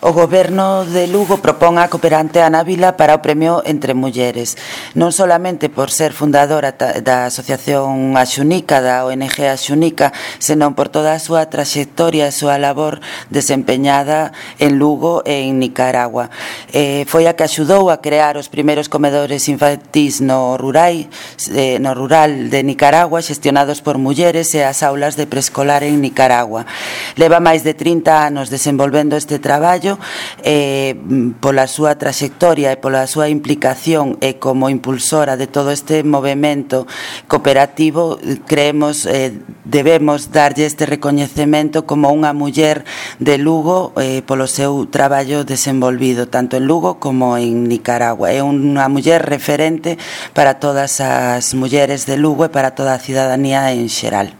O Goberno de Lugo propón a cooperante Ana Vila para o Premio Entre Mulleres, non solamente por ser fundadora da Asociación Axunica, da ONG Axunica, senón por toda a súa traxectoria e a súa labor desempeñada en Lugo e en Nicaragua. Foi a que axudou a crear os primeiros comedores infantís no rural de Nicaragua, xestionados por mulleres, e as aulas de preescolar en Nicaragua. Leva máis de 30 anos desenvolvendo este traballo. Pola súa traxectoria e pola súa implicación e como impulsora de todo este movemento cooperativo, creemos debemos darlle este recoñecemento como unha muller de Lugo polo seu traballo desenvolvido tanto en Lugo como en Nicaragua. É unha muller referente para todas as mulleres de Lugo e para toda a cidadanía en xeral.